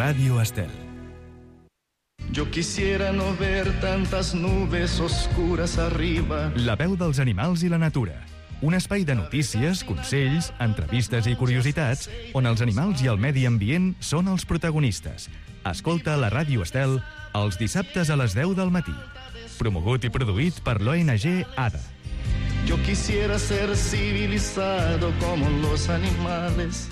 Radio Estel. Yo quisiera no ver tantas nubes oscuras arriba. La veu dels animals i la natura. Un espai de notícies, consells, entrevistes i curiositats on els animals i el medi ambient són els protagonistes. Escolta la Ràdio Estel els dissabtes a les 10 del matí. Promogut i produït per l'ONG ADA. Yo quisiera ser civilizado como los animales.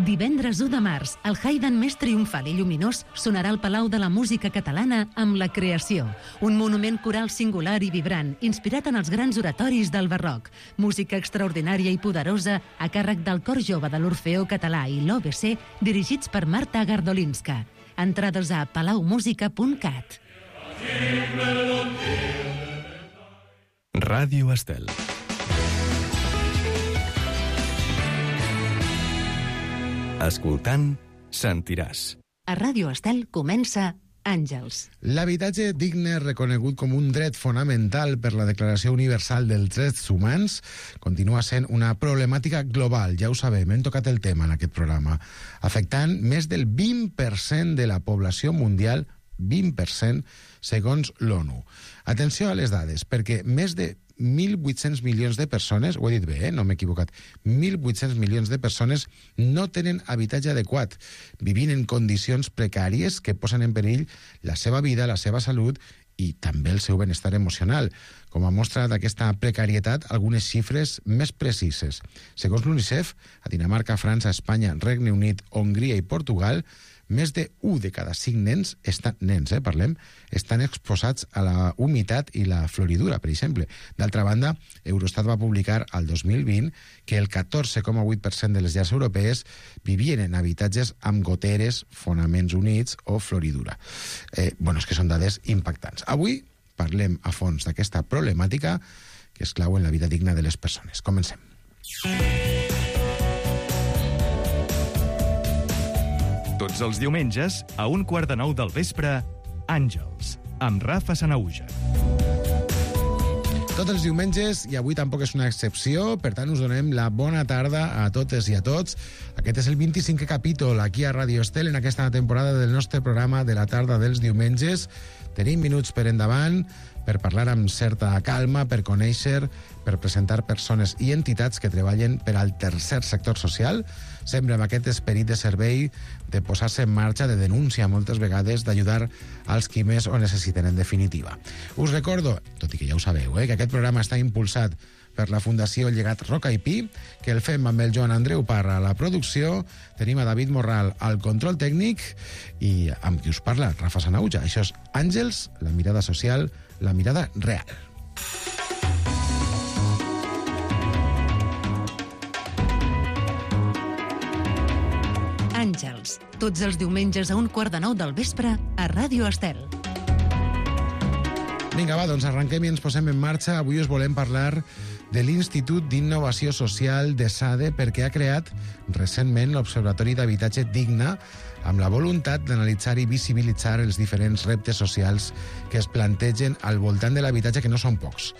Divendres 1 de març, el Haydn més triomfal i lluminós sonarà al Palau de la Música Catalana amb La Creació, un monument coral singular i vibrant, inspirat en els grans oratoris del barroc. Música extraordinària i poderosa a càrrec del Cor Jove de l'Orfeó Català i l'OBC, dirigits per Marta Gardolinska. Entrades a palaumusica.cat. Ràdio Estel. Escoltant, sentiràs. A Ràdio Estel comença Àngels. L'habitatge digne, reconegut com un dret fonamental per la Declaració Universal dels Drets Humans, continua sent una problemàtica global, ja ho sabem, hem tocat el tema en aquest programa, afectant més del 20% de la població mundial, 20% segons l'ONU. Atenció a les dades, perquè més de 1.800 milions de persones, ho he dit bé, no m'he equivocat, 1.800 milions de persones no tenen habitatge adequat, vivint en condicions precàries que posen en perill la seva vida, la seva salut i també el seu benestar emocional. Com a mostra d'aquesta precarietat, algunes xifres més precises. Segons l'UNICEF, a Dinamarca, França, Espanya, Regne Unit, Hongria i Portugal, més de 1 de cada 5 nens, estan exposats a la humitat i la floridura, per exemple. D'altra banda, Eurostat va publicar al 2020 que el 14,8% de les llars europees vivien en habitatges amb goteres, fonaments units o floridura. És que són dades impactants. Avui parlem a fons d'aquesta problemàtica que és clau en la vida digna de les persones. Comencem. Tots els diumenges, a 8:45 del vespre, Àngels, amb Rafa Sanahuja. Tots els diumenges, i avui tampoc és una excepció, per tant us donem la bona tarda a totes i a tots. Aquest és el 25è capítol aquí a Ràdio Estel en aquesta temporada del nostre programa de la tarda dels diumenges. Tenim minuts per endavant per parlar amb certa calma, per conèixer, per presentar persones i entitats que treballen per al tercer sector social, sempre amb aquest esperit de servei, de posar-se en marxa, de denúncia moltes vegades, d'ajudar als qui més ho necessiten en definitiva. Us recordo, tot i que ja ho sabeu, que aquest programa està impulsat per la Fundació Llegat Roca i Pi, que el fem amb el Joan Andreu Parra a la producció, tenim a David Morral al control tècnic i amb qui us parla, Rafa Sanahuja. Això és Àngels, la mirada social, la mirada real. Àngels, tots els diumenges a 8:45 del vespre a Ràdio Estel. Vinga, va, doncs arrenquem i ens posem en marxa. Avui us volem parlar de l'Institut d'Innovació Social de SADE perquè ha creat recentment l'Observatori d'Habitatge Digne amb la voluntat d'analitzar i visibilitzar els diferents reptes socials que es plantegen al voltant de l'habitatge, que no són pocs.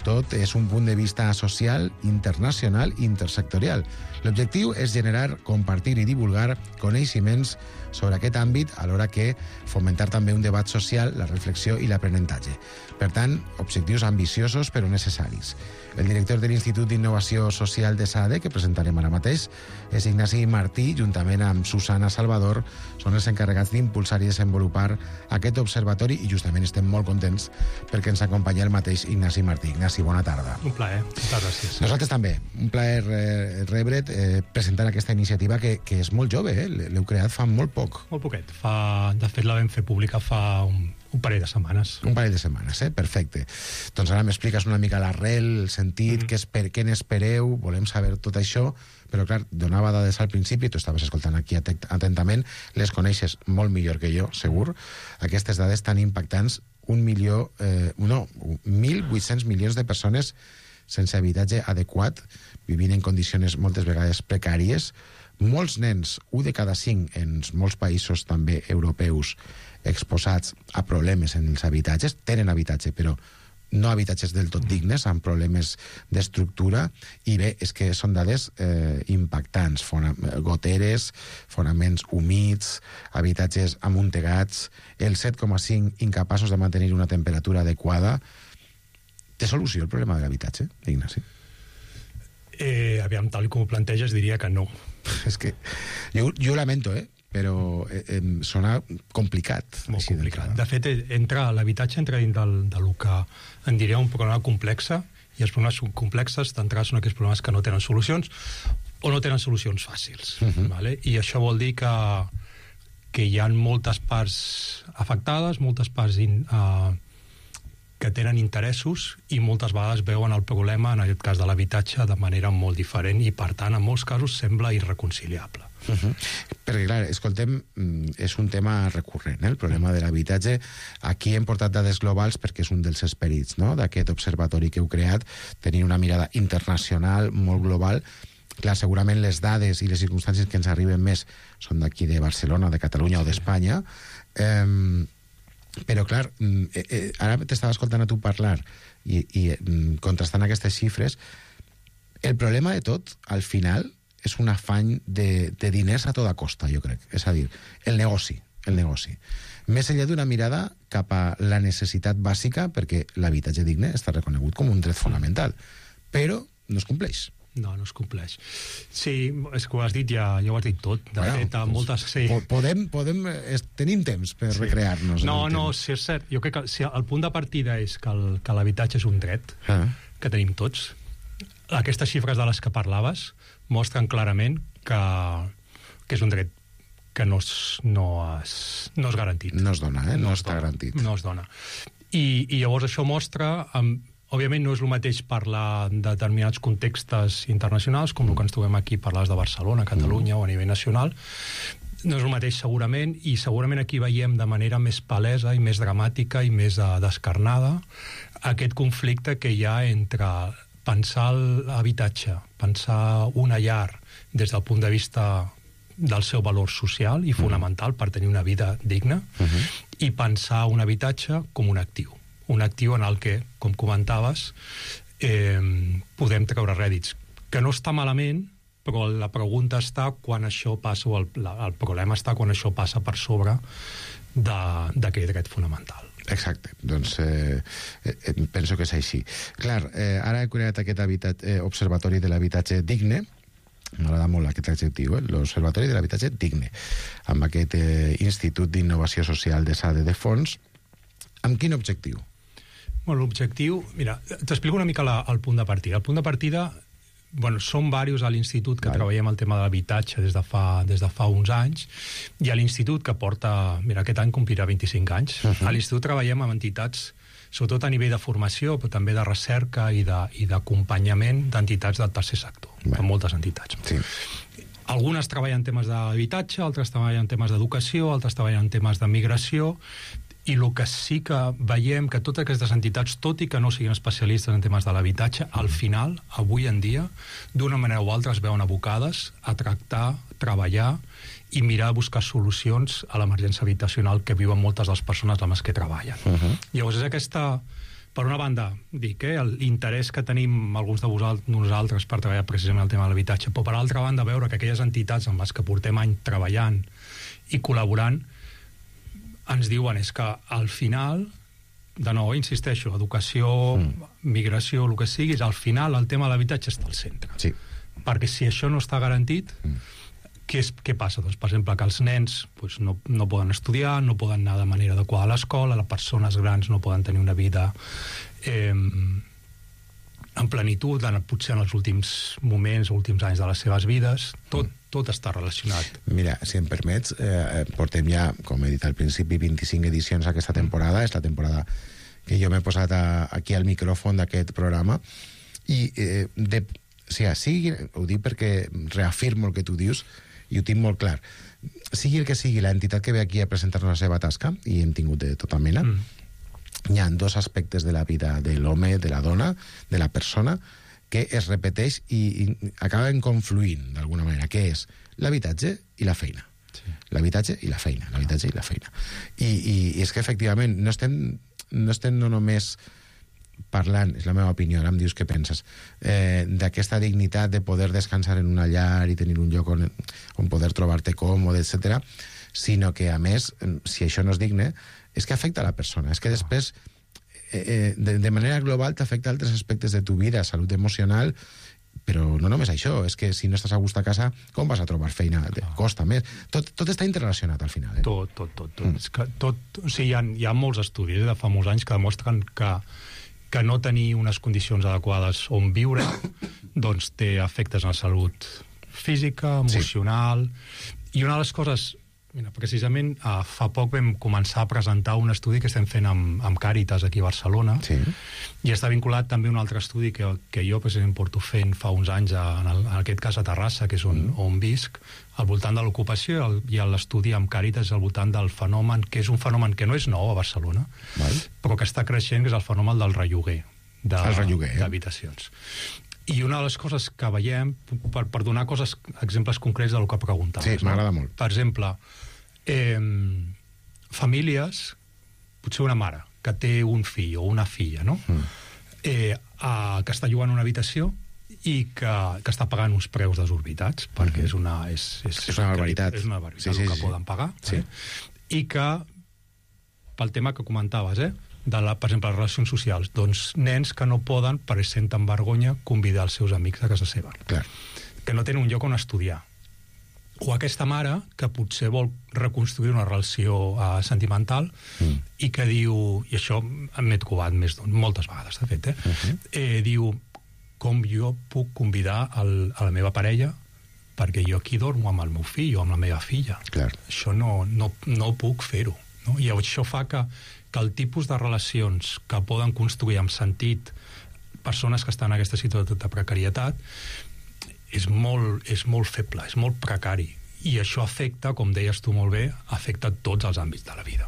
Tot és un punt de vista social, internacional i intersectorial. L'objectiu és generar, compartir i divulgar coneixements sobre aquest àmbit, alhora que fomentar també un debat social, la reflexió i l'aprenentatge. Per tant, objectius ambiciosos però necessaris. El director de l'Institut d'Innovació Social de SADE, que presentarem ara mateix, és Ignasi Martí, juntament amb Susana Salvador, són els encarregats d'impulsar i desenvolupar aquest observatori i justament estem molt contents perquè ens acompanya el mateix Ignasi Martí. Ignasi, bona tarda. Un plaer, moltes gràcies. Nosaltres també, un plaer rebre't presentant aquesta iniciativa que és molt jove, l'heu creat fa molt poc. Molt poquet. De fet, la vam fer pública fa un parell de setmanes. Un parell de setmanes, perfecte. Doncs ara m'expliques una mica l'arrel, el sentit, què n'espereu, volem saber tot això, però clar, donava dades al principi, tu estaves escoltant aquí atentament, les coneixes molt millor que jo, segur, aquestes dades tan impactants, 1.800 milions de persones sense habitatge adequat, vivint en condicions moltes vegades precàries, molts nens, 1 de cada 5 en molts països també europeus exposats a problemes en els habitatges, tenen habitatge però no habitatges del tot dignes, amb problemes d'estructura, i bé, és que són dades impactants, goteres, fonaments humits, habitatges amuntegats, el 7,5 incapaços de mantenir una temperatura adequada. Té solució el problema de l'habitatge, Ignasi? Aviam, tal com ho planteges, diria que no. És que jo lamento, però sona complicat. Molt complicat. De fet, l'habitatge entra dins del que en diria un problema complex, i els problemes complexes d'entrada són aquells problemes que no tenen solucions o no tenen solucions fàcils. Vale? I això vol dir que hi ha moltes parts afectades, moltes parts que tenen interessos i moltes vegades veuen el problema, en aquest cas de l'habitatge, de manera molt diferent i, per tant, en molts casos sembla irreconciliable. Perquè, clar, escoltem, és un tema recurrent, el problema de l'habitatge. Aquí hem portat dades globals perquè és un dels esperits, no?, d'aquest observatori que heu creat, tenir una mirada internacional, molt global. Clar, segurament les dades i les circumstàncies que ens arriben més són d'aquí de Barcelona, de Catalunya o d'Espanya, però, clar, ara t'estava escoltant a tu parlar i contrastant aquestes xifres. El problema de tot, al final, és un afany de diners a tota costa, jo crec. És a dir, el negoci. Més enllà d'una mirada cap a la necessitat bàsica, perquè l'habitatge digne està reconegut com un dret fonamental, però no es compleix. No es compleix. Sí, és que ho has dit, ja ho has dit tot. De fet, moltes... Sí. Tenim temps per recrear-nos. No, sí, és cert. Jo crec que si el punt de partida és que l'habitatge és un dret que tenim tots, aquestes xifres de les que parlaves mostren clarament que és un dret que no és garantit. No es dona, no està garantit. No es dona. I llavors això mostra... Òbviament no és el mateix parlar de determinats contextos internacionals, com el que ens trobem aquí, parlar de Barcelona, Catalunya o a nivell nacional. No és el mateix segurament, i segurament aquí veiem de manera més palesa i més dramàtica i més descarnada aquest conflicte que hi ha entre pensar l'habitatge, pensar una llar des del punt de vista del seu valor social i fonamental per tenir una vida digna, i pensar un habitatge com un actiu en el que, com comentaves, podem treure rèdits. Que no està malament, però la pregunta està quan això passa, o el problema està quan això passa per sobre d'aquest dret fonamental. Exacte, doncs penso que és així. Clar, ara he creat aquest observatori de l'habitatge digne, m'agrada molt aquest adjectiu, l'Observatori de l'Habitatge Digne, amb aquest Institut d'Innovació Social de Sade de Fons. Amb quin objectiu? Bueno, l'objectiu... Mira, t'explico una mica el punt de partida. El punt de partida, som diversos a l'Institut que treballem el tema de l'habitatge des de fa uns anys, i a l'Institut que porta... Mira, aquest any complirà 25 anys. A l'Institut treballem amb entitats, sobretot a nivell de formació, però també de recerca i d'acompanyament d'entitats del tercer sector, amb moltes entitats. Sí. Algunes treballen en temes d'habitatge, altres treballen en temes d'educació, altres treballen en temes de migració, i el que sí que veiem que totes aquestes entitats, tot i que no siguin especialistes en temes de l'habitatge, al final, avui en dia, d'una manera o altra es veuen abocades a tractar, treballar i mirar de buscar solucions a l'emergència habitacional que viuen moltes de les persones amb les que treballen. Llavors és aquesta, per una banda, dic, l'interès que tenim alguns de nosaltres per treballar precisament el tema de l'habitatge, però per altra banda veure que aquelles entitats amb les que portem anys treballant i col·laborant ens diuen és que al final, de nou, insisteixo, educació, migració, el que siguis, al final el tema de l'habitatge està al centre. Sí. Perquè si això no està garantit, què passa? Doncs, per exemple, que els nens no poden estudiar, no poden anar de manera adequada a l'escola, les persones grans no poden tenir una vida en plenitud, potser en els últims moments, últims anys de les seves vides, tot està relacionat. Mira, si em permets, portem ja, com he dit al principi, 25 edicions aquesta temporada, és la temporada que jo m'he posat aquí al micròfon d'aquest programa, i ho dic perquè reafirmo el que tu dius, i ho tinc molt clar. Sigui el que sigui l'entitat que ve aquí a presentar-nos la seva tasca, i hem tingut de tota mena, hi ha dos aspectes de la vida de l'home, de la dona, de la persona, que es repeteix i acaben confluint d'alguna manera, que és l'habitatge i la feina. Sí. L'habitatge i la feina, l'habitatge i la feina. I és que efectivament no estem no només parlant, és la meva opinió, ara em dius què penses, d'aquesta dignitat de poder descansar en una llar i tenir un lloc on poder trobar-te còmode, etc., sinó que, a més, si això no és digne, és que afecta a la persona, és que després, de manera global, t'afecta altres aspectes de tu vida, salut emocional, però no només això, és que si no estàs a gust a casa, com vas a trobar feina? Costa més. Tot està interrelacionat al final. Tot. És que o sigui, hi ha molts estudis de fa molts anys que demostren que no tenir unes condicions adequades on viure doncs té efectes en la salut física, emocional... I una de les coses... Mira, precisament fa poc vam començar a presentar un estudi que estem fent amb Càritas aquí a Barcelona, i està vinculat també a un altre estudi que jo precisament porto fent fa uns anys, en aquest cas a Terrassa, que és on visc, al voltant de l'ocupació, i l'estudi amb Càritas al voltant del fenomen, que és un fenomen que no és nou a Barcelona, però que està creixent, que és el fenomen del relloguer d'habitacions. I una de les coses que veiem, per donar exemples concrets del que preguntaves... Sí, m'agrada molt. Per exemple, famílies, potser una mare, que té un fill o una filla, no? Que està llogant una habitació i que està pagant uns preus desorbitats, perquè és una barbaritat. És una barbaritat el que poden pagar. I que, pel tema que comentaves, per exemple, les relacions socials, doncs nens que no poden, per senten vergonya, convidar els seus amics a casa seva. Clar. Que no tenen un lloc on estudiar. O aquesta mare que potser vol reconstruir una relació sentimental i que diu, i això m'he trobat moltes vegades, de fet, diu, com jo puc convidar a la meva parella perquè jo aquí dormo amb el meu fill o amb la meva filla. Clar. Això no puc fer-ho. No? I això fa que el tipus de relacions que poden construir amb sentit persones que estan en aquesta situació de precarietat és molt feble, és molt precari. I això afecta, com deies tu molt bé, afecta tots els àmbits de la vida.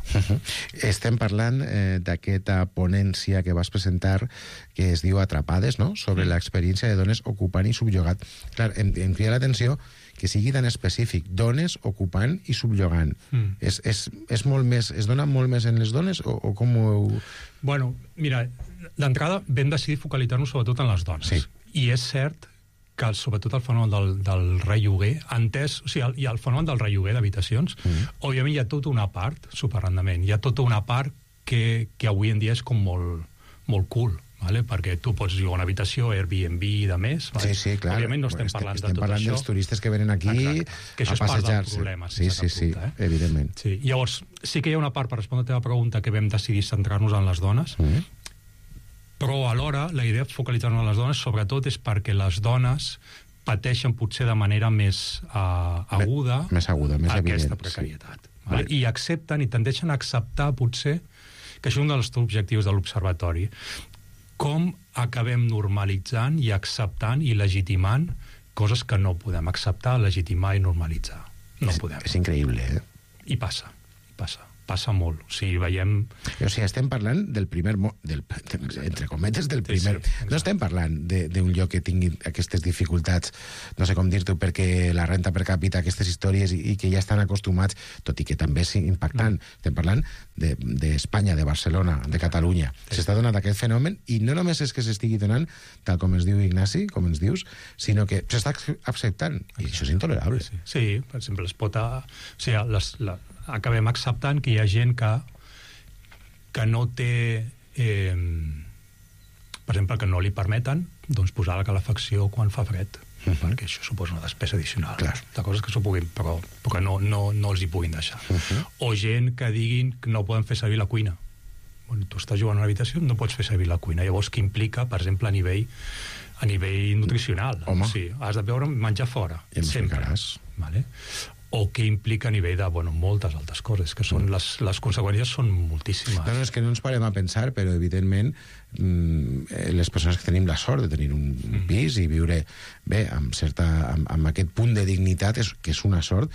Estem parlant d'aquesta ponència que vas presentar, que es diu Atrapades, no? Sobre l'experiència de dones ocupant i subjugat. Clar, em crida l'atenció que sigui tan específic, dones ocupant i subjugant. És molt més, es dona molt més en les dones o com ho heu... Bueno, mira, d'entrada vam decidir focalitzar-nos sobretot en les dones. Sí. I és cert que sobretot el fenomen del relloguer, i el fenomen del relloguer d'habitacions, òbviament hi ha tota una part, superrendement, hi ha tota una part que avui en dia és com molt cool, vale? Perquè tu pots llogar una habitació, Airbnb i de més. Vale? Sí, clar. Òbviament no estem parlant de tot això. Estem parlant dels turistes que venen aquí a passejar-se. Que això és part del problema. Sí, evidentment. Sí. Llavors, sí que hi ha una part, per respondre a la teva pregunta, que vam decidir centrar-nos en les dones, però alhora la idea de focalitzar-nos en les dones sobretot és perquè les dones pateixen potser de manera més aguda, més evident, aquesta precarietat. Sí. Vale? I accepten i tendeixen a acceptar potser, que això és un dels objectius de l'Observatori, com acabem normalitzant i acceptant i legitimant coses que no podem acceptar, legitimar i normalitzar. No podem. És increïble, I passa molt. O sigui, veiem... O sigui, estem parlant del primer... entre cometes, del primer... Sí, no estem parlant d'un lloc que tingui aquestes dificultats, no sé com dir-t'ho, perquè la renta per càpita, aquestes històries, i que ja estan acostumats, tot i que també és impactant. Estem parlant d'Espanya, de Barcelona, de Catalunya. S'està donant aquest fenomen, i no només és que s'estigui donant, tal com ens diu Ignasi, com ens dius, sinó que s'està acceptant. I això és intolerable. Sí, per exemple, es pot... O sigui, acabem acceptant que hi ha gent que no té per exemple, que no li permeten doncs, posar la calefacció quan fa fred, perquè això suposa una despesa addicional. De coses que s'ho puguin, però que no els hi puguin deixar. O gent que diguin que no poden fer servir la cuina. Bueno, tu estàs jugant a una habitació, no pots fer servir la cuina. Llavors, què implica, per exemple, a nivell nutricional? Home. O sigui, has de beure menjar fora. I ens ficaràs. Vale? O què implica a nivell de moltes altres coses, que són les conseqüències són moltíssimes. No, és que no ens parem a pensar, però evidentment les persones que tenim la sort de tenir un pis i viure bé, amb aquest punt de dignitat, que és una sort,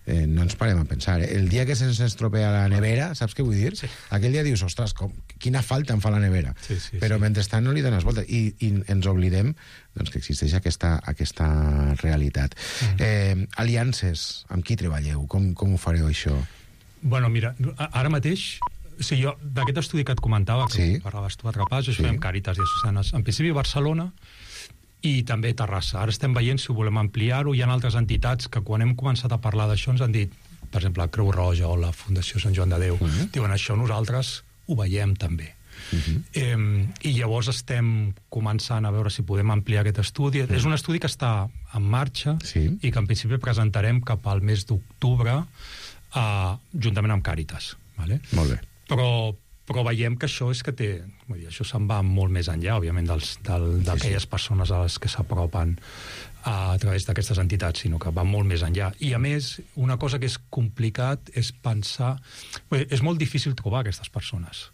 no ens parem a pensar. El dia que se'ns estropea la nevera, saps què vull dir? Sí. Aquell dia dius, ostres, quina falta em fa la nevera. Però mentrestant no li dones volta. I ens oblidem doncs, que existeix aquesta realitat. Aliances, amb qui treballeu? Com ho fareu, això? Bueno, mira, ara mateix Sí, jo, d'aquest estudi que et comentava, que parlaves tu a Trapàs, això fem Càritas Diocesanes, en principi Barcelona i també Terrassa. Ara estem veient si ho volem ampliar-ho. Hi ha altres entitats que quan hem començat a parlar d'això ens han dit, per exemple, la Creu Roja o la Fundació Sant Joan de Déu, diuen això nosaltres ho veiem també. I llavors estem començant a veure si podem ampliar aquest estudi. És un estudi que està en marxa i que en principi presentarem cap al mes d'octubre juntament amb Càritas. Vale? Molt bé. Però veiem que això és que té... Vull dir, això se'n va molt més enllà, òbviament, d'aquelles persones a les que s'apropen a través d'aquestes entitats, sinó que va molt més enllà. I, a més, una cosa que és complicat és pensar... És molt difícil trobar aquestes persones.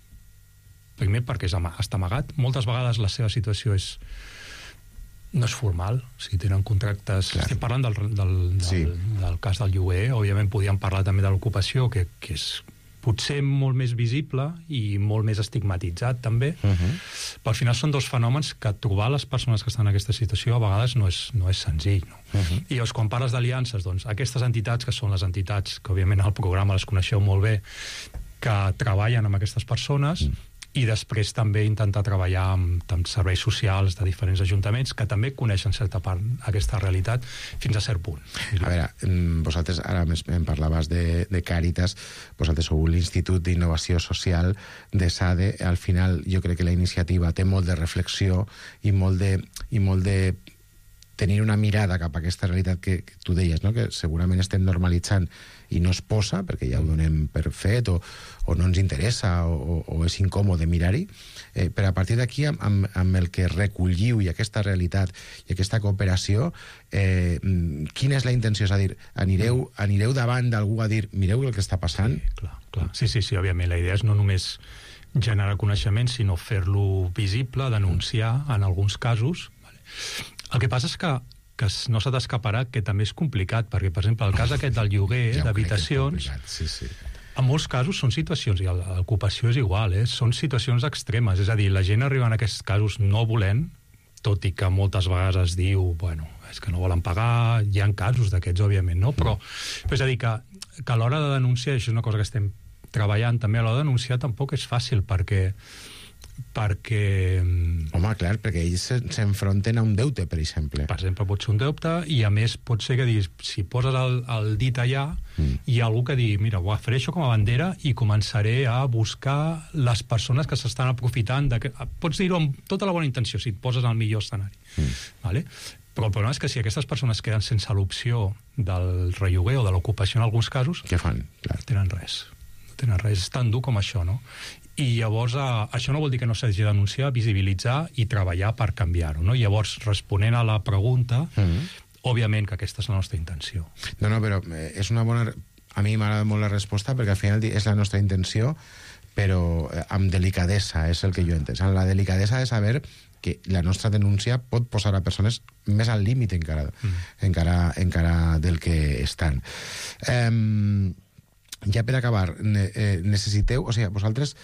Primer perquè està amagat. Moltes vegades la seva situació no és formal, si tenen contractes... Clar. Estem parlant del cas del lloguer, òbviament podíem parlar també de l'ocupació, que és potser molt més visible i molt més estigmatitzat també, però al final són dos fenòmens que trobar les persones que estan en aquesta situació a vegades no és senzill. No? I llavors, quan parles d'aliances, doncs aquestes entitats, que són les entitats que òbviament al programa les coneixeu molt bé, que treballen amb aquestes persones, i després també intentar treballar amb serveis socials de diferents ajuntaments que també coneixen certa part aquesta realitat fins a cert punt. A veure, vosaltres ara em parlaves de Càritas, vosaltres sou l'Institut d'Innovació Social de SADE. Al final jo crec que la iniciativa té molt de reflexió i molt de tenir una mirada cap a aquesta realitat que tu deies, no? Que segurament estem normalitzant i no es posa, perquè ja ho donem per fet, o no ens interessa, o és incòmode mirar-hi, però a partir d'aquí, amb el que recolliu i aquesta realitat i aquesta cooperació, quina és la intenció? És a dir, anireu davant d'algú a dir, mireu el que està passant? Sí, clar. Sí, òbviament, la idea és no només generar coneixement, sinó fer-lo visible, denunciar en alguns casos. El que passa és que no s'ha d'escaparà que també és complicat, perquè, per exemple, el cas aquest del lloguer d'habitacions, en molts casos són situacions, i l'ocupació és igual, són situacions extremes, és a dir, la gent arriba en aquests casos no volent, tot i que moltes vegades es diu, bueno, és que no volen pagar, hi ha casos d'aquests, òbviament, no? Però és a dir, que a l'hora de denunciar, això és una cosa que estem treballant també, a l'hora de denunciar tampoc és fàcil, perquè Home, clar, perquè ells s'enfronten a un deute, per exemple. Per exemple, pot ser un deute, i a més pot ser que si poses el dit allà, hi ha algú que digui, mira, ho faré això com a bandera i començaré a buscar les persones que s'estan aprofitant. Pots dir-ho amb tota la bona intenció, si et poses al millor escenari. Vale? Però el problema és que si aquestes persones queden sense l'opció del relloguer o de l'ocupació en alguns casos, què fan? No tenen res. No tenen res. És tan dur com això, no? I llavors això no vol dir que no s'hagi de denunciar, visibilitzar i treballar per canviar-ho, no? Llavors, responent a la pregunta, òbviament que aquesta és la nostra intenció. No, però és una bona... A mi m'agrada molt la resposta, perquè al final és la nostra intenció, però amb delicadesa, és el que jo entenc. La delicadesa de saber que la nostra denúncia pot posar a persones més al límit encara del que estan. Ja per acabar, necessiteu... O sigui, vosaltres,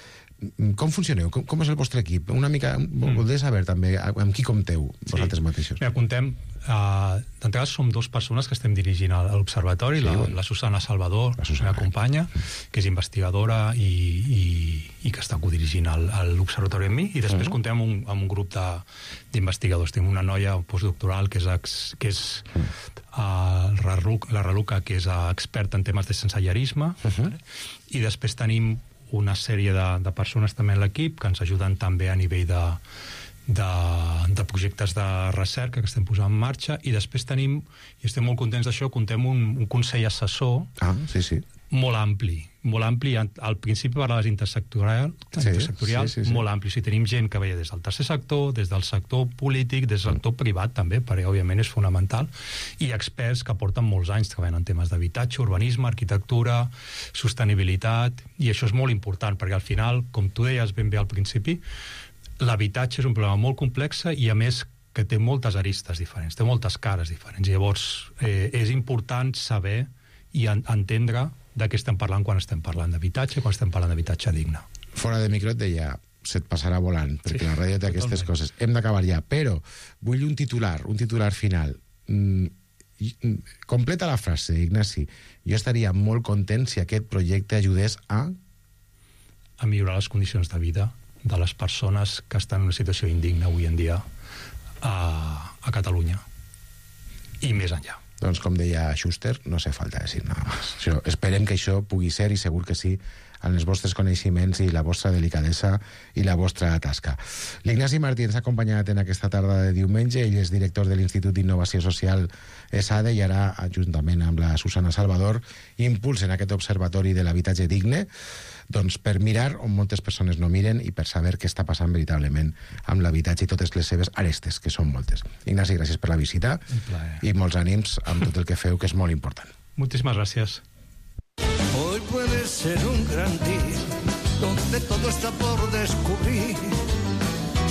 com funcioneu? Com és el vostre equip? Una mica... Voldria saber també amb qui compteu vosaltres mateixos. Mira, comptem... D'entrada som dues persones que estem dirigint a l'Observatori, la Susana Salvador, la meva companya, que és investigadora i que està codirigint l'Observatori amb mi, i després comptem amb un grup d'investigadors. Tenim una noia postdoctoral que és la Raluca, que és experta en temes de sensellarisme, i després tenim una sèrie de persones també en l'equip que ens ajuden també a nivell de projectes de recerca que estem posant en marxa, i després tenim, i estem molt contents d'això, comptem un consell assessor molt ampli. Al principi parlaves intersectorial, molt ampli. O sigui, tenim gent que veia des del tercer sector, des del sector polític, des del sector privat també, perquè òbviament és fonamental, i experts que porten molts anys treballant en temes d'habitatge, urbanisme, arquitectura, sostenibilitat, i això és molt important, perquè al final, com tu deies ben bé al principi, l'habitatge és un problema molt complex i, a més, que té moltes aristes diferents, té moltes cares diferents. I llavors, és important saber i entendre de què estem parlant quan estem parlant d'habitatge, quan estem parlant d'habitatge digne. Fora de micro et deia, se't passarà volant, perquè la ràdio té aquestes coses. Hem d'acabar ja, però vull un titular final. Completa la frase, Ignasi. Jo estaria molt content si aquest projecte ajudés a a millorar les condicions de vida de les persones que estan en una situació indigna avui en dia a Catalunya i més enllà. Doncs com deia Schuster, no hace falta decir nada más. Esperem que això pugui ser, i segur que sí, en els vostres coneixements i la vostra delicadesa i la vostra tasca. L'Ignasi Martí ens ha acompanyat en aquesta tarda de diumenge. Ell és director de l'Institut d'Innovació Social ESADE i ara, juntament amb la Susana Salvador, impulsen aquest observatori de l'habitatge digne, doncs per mirar on moltes persones no miren i per saber què està passant veritablement amb l'habitatge i totes les seves arestes, que són moltes. Ignasi, gràcies per la visita i molts ànims amb tot el que feu, que és molt important. Moltíssimes gràcies. Hoy puede ser un gran día donde todo está por descubrir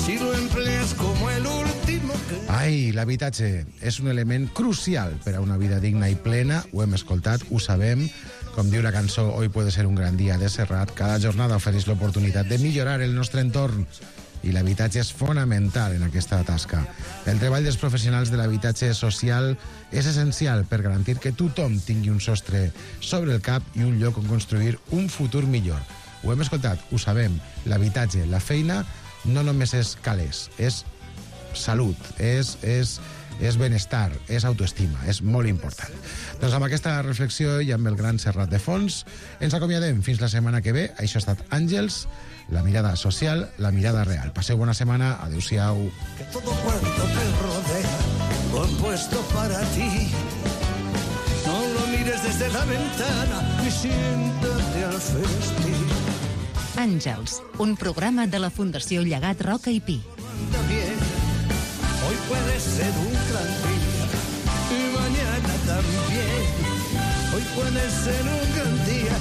si lo empleas como el último que... Ai, l'habitatge és un element crucial per a una vida digna i plena. Ho hem escoltat, ho sabem. Com diu la cançó Hoy puede ser un gran día de Serrat, cada jornada ofereix l'oportunitat de millorar el nostre entorn i l'habitatge és fonamental en aquesta tasca. El treball dels professionals de l'habitatge social és essencial per garantir que tothom tingui un sostre sobre el cap i un lloc on construir un futur millor. Ho hem escoltat, ho sabem, l'habitatge, la feina, no només és calés, és salut, és benestar, és autoestima, és molt important. Doncs amb aquesta reflexió i amb el gran Serrat de fons, ens acomiadem fins la setmana que ve. Això ha estat Àngels, la mirada social, la mirada real. Passeu bona setmana, adeu-siau. Que todo cuanto te rodea lo han puesto para ti. No lo mires desde la ventana y siéntate al festín. Àngels, un programa de la Fundació Llegat Roca i Pi. También, hoy puede ser un gran día y mañana también. Hoy puede ser un gran día